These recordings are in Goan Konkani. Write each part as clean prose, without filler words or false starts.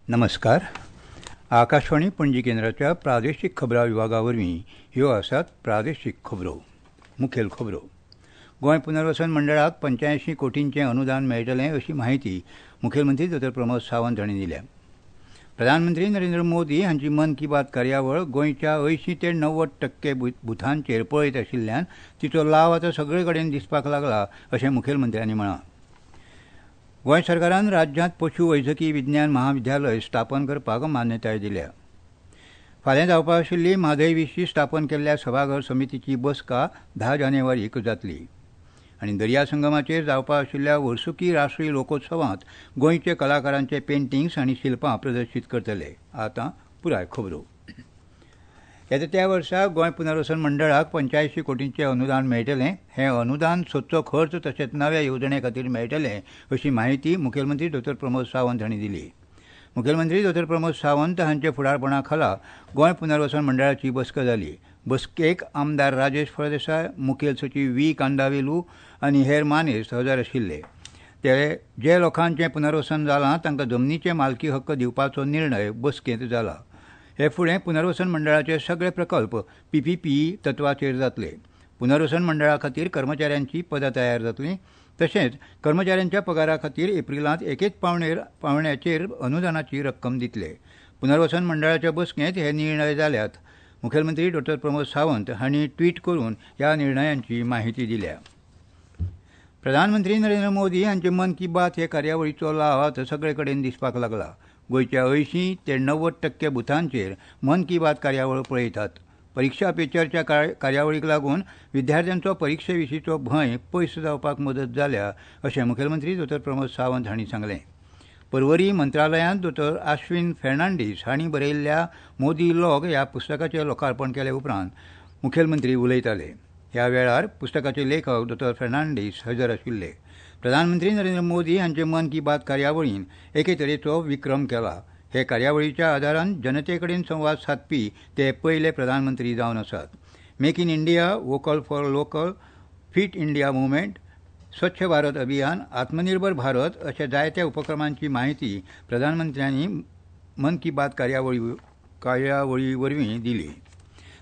नमस्कार. आकाशवाणी पणजी केंद्राच्या प्रादेशीक खबरां विभागा वरवीं ह्यो आसात प्रादेशीक खबरो. मुखेल खबरो. गोंय पुनर्वसन मंडळाक 85 कोटींचें अनुदान मेळटलें अशी म्हायती मुखेलमंत्री दोतोर प्रमोद सावंत हांणी दिल्या. प्रधानमंत्री नरेंद्र मोदी हांची मन की बात कार्यावळ गोंयच्या 80 ते 90% बुथांचेर पळयत आशिल्ल्यान तिचो लाव आतां सगळे कडेन दिसपाक लागला अशें मुखेलमंत्र्यांनी म्हळां. गोंय सरकारान राज्यांत पशु वैजकी विज्ञान महाविद्यालय स्थापन करपाक मान्यताय दिल्या. फाल्यां जावपा आशिल्ली म्हादय विशीं स्थापन केल्ल्या सभाघर समितीची बसका 10 जानेवारीक जातली. आनी दर्या संगमाचेर जावपा आशिल्ल्या वर्सुकी राष्ट्रीय लोकोत्सवांत गोंयचे कलाकारांचे पेंटिंग्स आनी शिल्पां प्रदर्शीत करतले. आतां पुराय खबरो. येता त्या वर्सा गोंय पुनर्वसन मंडळाक 85 कोटींचें अनुदान मेळटलें. हें अनुदान सदचो खर्च तशेंच नव्या येवजणे खातीर मेळटलें अशी म्हायती मुखेलमंत्री दोतोर प्रमोद सावंत हांणी दिली. मुखेलमंत्री दोतोर प्रमोद सावंत हांच्या फुडारपणा खाला गोंय पुनर्वसन मंडळाची बसका जाली. बसकेक आमदार राजेश फळदेसाय, मुखेल सचीव व्ही कांदावेलू आनी हेर मानेस्त हजर आशिल्ले. ते जे लोकांचें पुनर्वसन जालां तांकां जमनीचे मालकी हक्क दिवपाचो निर्णय बसकेंत जाला. हे फुडें पुनर्वसन मंडळाचे सगळे प्रकल्प पीपीपी तत्वाचेर जातले. पुनर्वसन मंडळा खातीर कर्मचाऱ्यांची पदां तयार जातलीं. तशेंच कर्मचाऱ्यांच्या पगारा खातीर एप्रिलांत एकेच पावण्याचेर अनुदानाची रक्कम दितले. पुनर्वसन मंडळाच्या बसकेंत हे निर्णय जाल्यात. मुखेलमंत्री डॉ प्रमोद सावंत हांणी ट्वीट करून ह्या निर्णयांची म्हायती दिल्या. प्रधानमंत्री नरेंद्र मोदी हांचे मन की बात हे कार्यावळीचो लाव आतां सगळे कडेन दिसपाक लागला. गोंयच्या 80 ते 90% बुथांचेर मन की बात कार्यावळ पळयतात. परिक्षा पे चर्चा कार्यावळीक लागून विद्यार्थ्यांचो परिक्षे विशींचो भंय पयस जावपाक मदत जाल्या अशें मुखेलमंत्री दोतोर प्रमोद सावंत हांणी सांगलें. पर्वरी मंत्रालयांत दोतोर आश्विन फेर्नांडीस हांणी बरयल्ल्या मोदी लॉग ह्या पुस्तकाचें लोकार्पण केले उपरांत मुखेलमंत्री उलयताले. ह्या वेळार पुस्तकाचे लेखक दोतोर फेर्नांडीस हजर आशिल्ले. प्रधानमंत्री नरेंद्र मोदी हांचे मन की बात कार्यावळीन एके तरेचो विक्रम केला. हे कार्यावळीच्या आदारान जनते कडेन संवाद सादपी ते पयले प्रधानमंत्री जावन आसात. Make in India, vocal for local, fit India movement, Swachh Bharat Abhiyan, Atmanirbhar Bharat अशा जायत्या उपक्रमांची म्हायती प्रधानमंत्र्यांनी मन की बात कार्यावळी वरवीं दिली.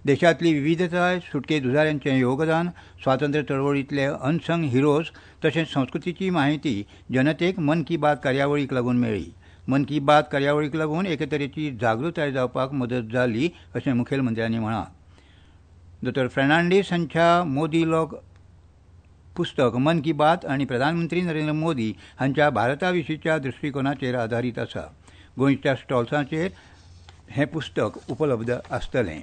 देशांतली विविधताय, सुटके झुजाऱ्यांचें योगदान, स्वातंत्र्य चळवळींतले अनसंग हिरोज तशेंच संस्कृतीची म्हायती जनतेक मन की बात कार्यावळीक लागून मेळ्ळी. मन की बात कार्यावळीक लागून एके तरेची जागृताय जावपाक मदत जाली अशें मुखेलमंत्र्यांनी म्हळां. दोतोर फेर्नांडीस हांच्या मोदी लॉग पुस्तक मन की बात आनी प्रधानमंत्री नरेंद्र मोदी हांच्या भारता विशींच्या दृश्टीकोनाचेर आदारीत आसा. गोंयच्या स्टॉल्सांचेर हें पुस्तक उपलब्ध आसतलें.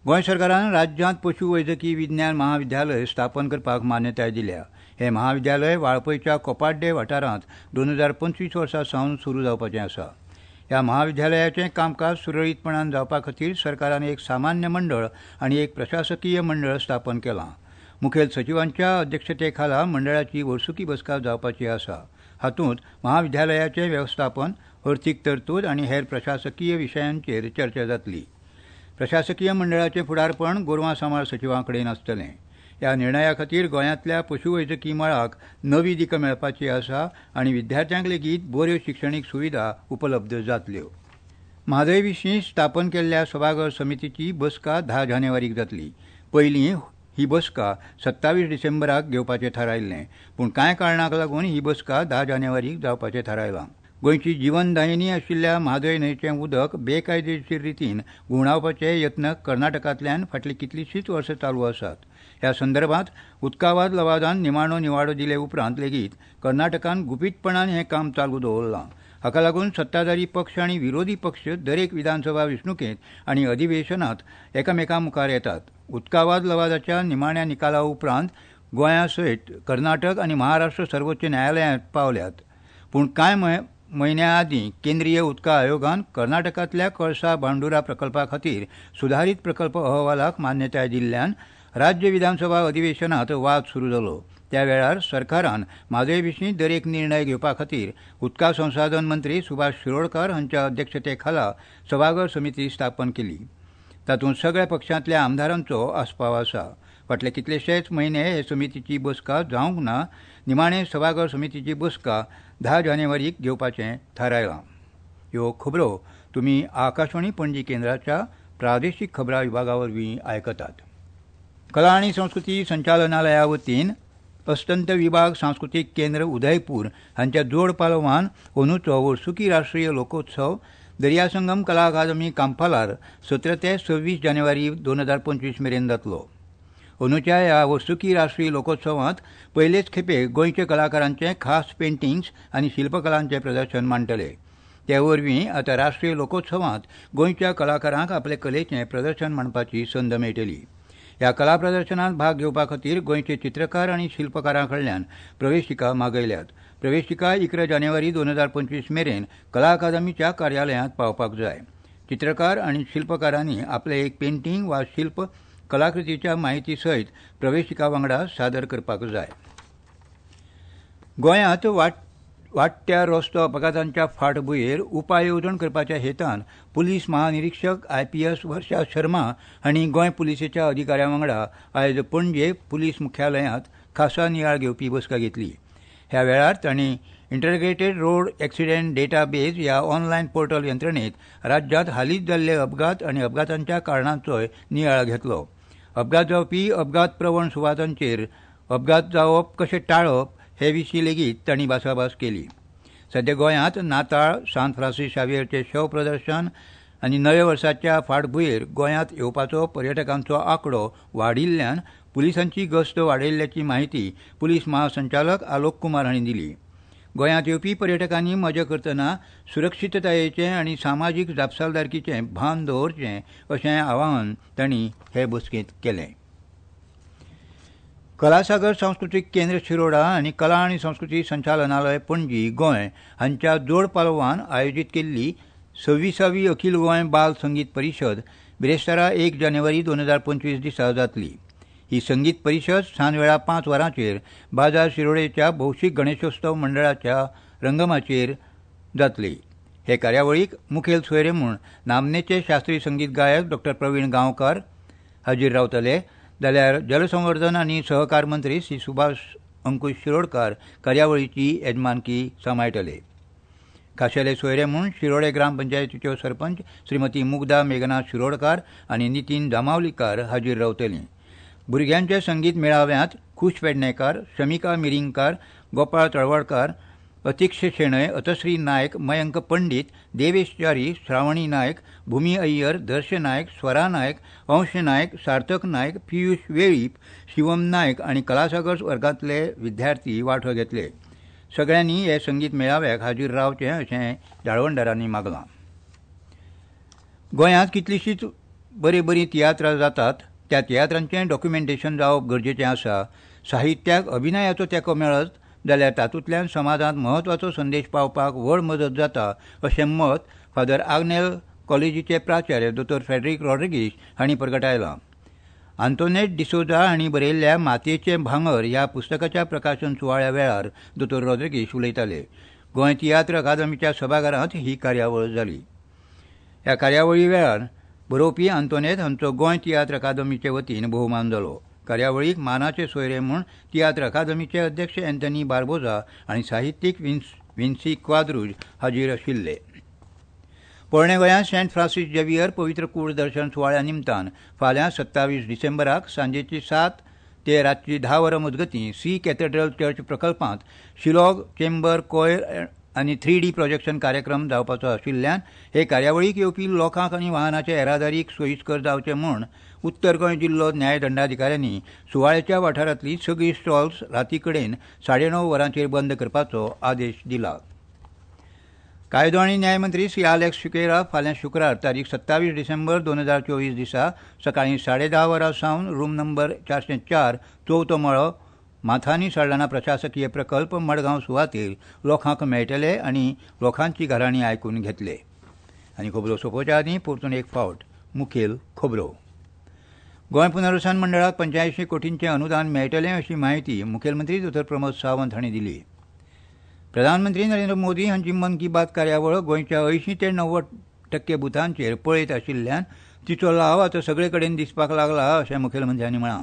गोंय सरकारान राज्यांत पशु वैजकी विज्ञान महाविद्यालय स्थापन करपाक मान्यताय दिल्या. हें महाविद्यालय वाळपयच्या कोपाड्डे वाठारांत 2025 वर्सा सावन सुरू जावपाचें आसा. ह्या महाविद्यालयाचें कामकाज सुरळीतपणान जावपा खातीर सरकारान एक सामान्य मंडळ आनी एक प्रशासकीय मंडळ स्थापन केलां. मुखेल सचिवांच्या अध्यक्षतेखाला मंडळाची वर्सुकी बसका जावपाची आसा. हातूंत महाविद्यालयाचें वेवस्थापन, अर्थीक तरतूद आनी हेर प्रशासकीय विशयांचेर चर्चा जातली. प्रशासकीय मंडळाचें फुडारपण गोरवां सांबाळ सचिवां कडेन आसतलें. ह्या निर्णया खातीर गोंयांतल्या पशुवैजकी मळाक नवी दिका मेळपाची आसा आनी विद्यार्थ्यांक लेगीत बऱ्यो शिक्षणीक सुविधा उपलब्ध जातल्यो. म्हादय विशीं स्थापन केल्ल्या सभाघर समितीची बसका 10 जानेवारीक जातली. पयलीं ही बसका 27 डिसेंबराक घेवपाचें थारायल्लें, पूण कांय कारणांक लागून ही बसका 10 जानेवारीक जावपाचें थारायलां. गोंयची जिवनदायिनी आशिल्ल्या म्हादय न्हंयचें उदक बेकायदेशीर रितीन घुंवडावपाचे यत्न कर्नाटकांतल्यान फाटलीं कितलींशींच वर्सां चालू आसात. ह्या संदर्भात उदकावाद लवादान निमाणो निवाडो दिले उपरांत लेगीत कर्नाटकान गुपीतपणान हें काम चालू दवरलां. हाका लागून सत्ताधारी पक्ष आनी विरोधी पक्ष दरेक विधानसभा वेंचणुकेंत आनी अधिवेशनांत एकामेकां मुखार येतात. उदकावाद लवादाच्या निमाण्या निकाला उपरांत गोंया सयत कर्नाटक आनी महाराष्ट्र सर्वोच्च न्यायालयांत पावल्यात. पूण कांय म्हयन्या आदीं केंद्रीय उदका आयोगान कर्नाटकांतल्या कळसा भांडुरा प्रकल्पा खातीर सुदारीत प्रकल्प अहवालाक मान्यताय दिल्ल्यान राज्य विधानसभा अधिवेशनांत वाद सुरू जालो. त्या वेळार सरकारान म्हादय विशीं दरेक निर्णय घेवपा खातीर उदका संसाधन मंत्री सुभाष शिरोडकार हांच्या अध्यक्षते खाला सभाघर समिती स्थापन केली. तातूंत सगळ्या पक्षांतल्या आमदारांचो आस्पाव आसा. फाटले कितलेशेच म्हयने हे समितीची बसका जावंक ना. निमाणे सभाघर समितीची बसका 10 जानेवारीक घेवपाचें थारायलां. ह्यो खबरो तुमी आकाशवाणी पणजी केंद्राच्या प्रादेशीक खबरां विभागा वरवीं आयकतात. कला आनी संस्कृती संचालनालया वतीन अस्तंत विभाग सांस्कृतीक केंद्र उदयपूर हांच्या जोड पालवान अंदूचो वर्सुकी राष्ट्रीय लोकोत्सव दर्यासंगम कला अकादमी कांपालार 17 ते 26 जानेवारी 2025 मेरेन जातलो. अंदूच्या ह्या वर्सुकी राष्ट्रीय लोकोत्सवांत पयलेच खेपे गोंयच्या कलाकारांचे खास पेंटिंग्स आनी शिल्पकलांचें प्रदर्शन मांडटले. ते वरवीं आतां राष्ट्रीय लोकोत्सवांत गोंयच्या कलाकारांक आपले कलेचें प्रदर्शन मांडपाची संद मेळटली. ह्या कला प्रदर्शनांत भाग घेवपा खातीर गोंयचे चित्रकार आनी शिल्पकारां कडल्यान प्रवेशिका मागयल्यात. प्रवेशिका 11 जानेवारी 2025 मेरेन कला अकादमीच्या कार्यालयांत पावपाक जाय. चित्रकार आनी शिल्पकारांनी आपले एक पेंटींग वा शिल्प कलाकृतीच्या माहिती सयत प्रवेशिका वांगडा सादर करपाक जाय. गोंयांत वाडट्या रस्तो अपघातांच्या फाटभुंयेर उपाय येवजण करपाच्या हेतान पुलीस महानिरीक्षक IPS वर्षा शर्मा हांणी गोंय पुलिसेच्या अधिकाऱ्यां वांगडा आयज पणजे पुलीस मुख्यालयांत खासा नियाळ घेवपी बसका घेतली. ह्या वेळार तांणी इंटरग्रेटेड रोड एक्सिडेंट डेटाबेज ह्या ऑनलायन पोर्टल यंत्रणेत राज्यांत हालींच जाल्ले अपघात आनी अपघातांच्या कारणांचोय नियाळ घेतलो. अपघात जावपी अपघात प्रवण सुवातांचेर अपघात जावप कशें टाळप हे विशीं लेगीत तांणी भासाभास केली. सध्या गोंयांत नाताळ, सांत फ्रांसीस शावियरचें शव प्रदर्शन आनी नव्या वर्साच्या फाटभुंयेर गोंयांत येवपाचो पर्यटकांचो आंकडो वाडिल्ल्यान पुलिसांची गस्त वाडयल्ल्याची माहिती पुलीस महासंचालक आलोक कुमार हांणी दिली. गोंयांत येवपी पर्यटकांनी मजा करतना सुरक्षिततायेचें आनी सामाजीक जापसालदारकीचें भान दवरचें अशें आवाहन तांणी हे बसकेंत केलें. कलासागर सांस्कृतीक केंद्र शिरोडा आनी कला आनी संस्कृती संचालनालय पणजी गोंय हांच्या जोड पालवान आयोजीत केल्ली 26वी अखिल गोंय बाल संगीत परिशद बिरेस्तारा 1 जानेवारी 2025 दिसा जातली. ही संगीत परिशद सांजवेळा 5 वरांचेर बाजार शिरोडेच्या भौशीक गणेशोत्सव मंडळाच्या रंगमाचयेर जातली. हे कार्यावळीक मुखेल सोयरे म्हूण नामनेचे शास्त्रीय संगीत गायक डॉ. प्रवीण गांवकार हाजीर रावतले, जाल्यार जलसंवर्धन आनी सहकार मंत्री श्री सुभाष अंकुश शिरोडकार कार्यावळीची येजमानकी सांबाळटले. खाशेले सोयरे म्हूण शिरोडे ग्रामपंचायतीच्यो सरपंच श्रीमती मुग्धा मेघना शिरोडकार आनी नितीन जामावलीकार हाजीर रावतलीं. भुरग्यांच्या संगीत मेळाव्यांत खुश पेडणेकार, शमिका मिरिंगकार, गोपाळ तळवडकार, अतिक्ष शेणय, अतश्री नायक, मयंक पंडीत, देवेश च्यारी, श्रावणी नायक, भूमी अय्यर, दर्श नायक, स्वरा नायक, अंश नायक, सार्थक नायक, पियुष वेळीप, शिवम नायक आनी कलासागर वर्गांतले विद्यार्थी वांटो घेतले. सगळ्यांनी हे संगीत मेळाव्याक हाजीर रावचें अशें जाळवणदारांनी मागलां. गोंयांत कितलींशींच बरीं बरीं तियात्रां जातात. त्या तियात्रांचें डॉक्युमेंटेशन जावप गरजेचें आसा. साहित्याक अभिनयाचो तेंको मेळत जाल्यार तातूंतल्यान समाजांत म्हत्वाचो संदेश पावपाक व्हड मदत जाता अशें मत फादर आग्नेल कॉलेजीचे प्राचार्य दोतोर फ्रेडरीक रॉड्रिगीश हांणी परगटायलां. आंतोनेट डिसोजा हांणी बरयल्ल्या मातयेचें भांगर ह्या पुस्तकाच्या प्रकाशन सुवाळ्या वेळार दोतोर रॉड्रिगीश उलयताले. गोंय तियात्र अकादमीच्या सभाघरांत ही कार्यावळ जाली. ह्या कार्यावळी वेळार बरोवपी आंतोनेत हांचो गोंय तियात्र अकादमीचे वतीन भोवमान जालो. कार्यावळीक मानाचे सोयरे म्हूण तियात्र अकादमीचे अध्यक्ष अँथनी बार्बोजा आनी साहित्यीक विन्सी क्वाद्रुज हाजीर आशिल्ले. पोरणे गोंयांत सेंट फ्रांसीस झेवियर पवित्र कूड दर्शन सुवाळ्या निमतान फाल्यां 27 डिसेंबराक सांजेची 7 ते रातची 10 वरां मजगतीं सी कॅथेड्रल चर्च प्रकल्पांत शिलॉग चेंबर कोयर आनी 3D projection कार्यक्रम जावपाचो आशिल्ल्यान हे कार्यावळीक येवपी लोकांक आनी वाहनाचे येरादारीक सोयीस्कर जावचें म्हूण उत्तर गोंय जिल्लो न्यायदंडाधिकाऱ्यांनी सुवाळ्याच्या वाठारांतली सगळीं स्टॉल्स राती कडेन 9:30 वरांचेर बंद करपाचो आदेश दिला. कायदो आनी न्यायमंत्री श्री आलेक्स सिक्वेरा फाल्यां शुक्रार तारीख 27 डिसेंबर 2024 दिसा सकाळीं 10:30 वरां सावन रूम नंबर 404 चवथो मळो माथानी साल्ढाणा प्रशासकीय प्रकल्प मडगांव सुवातेर लोकांक मेळटले आनी लोकांची घराणीं आयकून घेतले. आनी खबरो सोंपोवच्या आदीं परतून एक फावट मुखेल खबरो. गोंय पुनर्वसन मंडळाक 85 कोटींचें अनुदान मेळटलें अशी म्हायती मुखेलमंत्री दोतोर प्रमोद सावंत हांणी दिली. प्रधानमंत्री नरेंद्र मोदी हांची मन की बात कार्यावळ गोंयच्या 80 ते 90% बुथांचेर पळयत आशिल्ल्यान तिचो लाव आतां सगळे कडेन दिसपाक लागला अशें मुखेलमंत्र्यांनी म्हळां.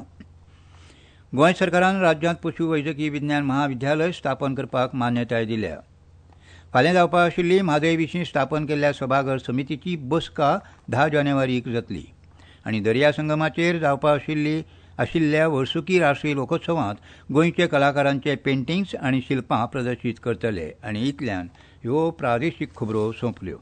गोंय सरकारान राज्यांत पशु वैजकी विज्ञान महाविद्यालय स्थापन करपाक मान्यताय दिल्या. फाल्यां जावपा आशिल्ली म्हादय विशीं स्थापन केल्ल्या सभाघर समितीची बसका 10 जानेवारीक जातली. आनी दर्या संगमाचेर जावपा आशिल्ल्या वर्सुकी राष्ट्रीय लोकोत्सवांत गोंयचे कलाकारांचे पेंटिंग्स आनी शिल्पां प्रदर्शीत करतले. आनी इतल्यान ह्यो प्रादेशीक खबरो सोंपल्यो.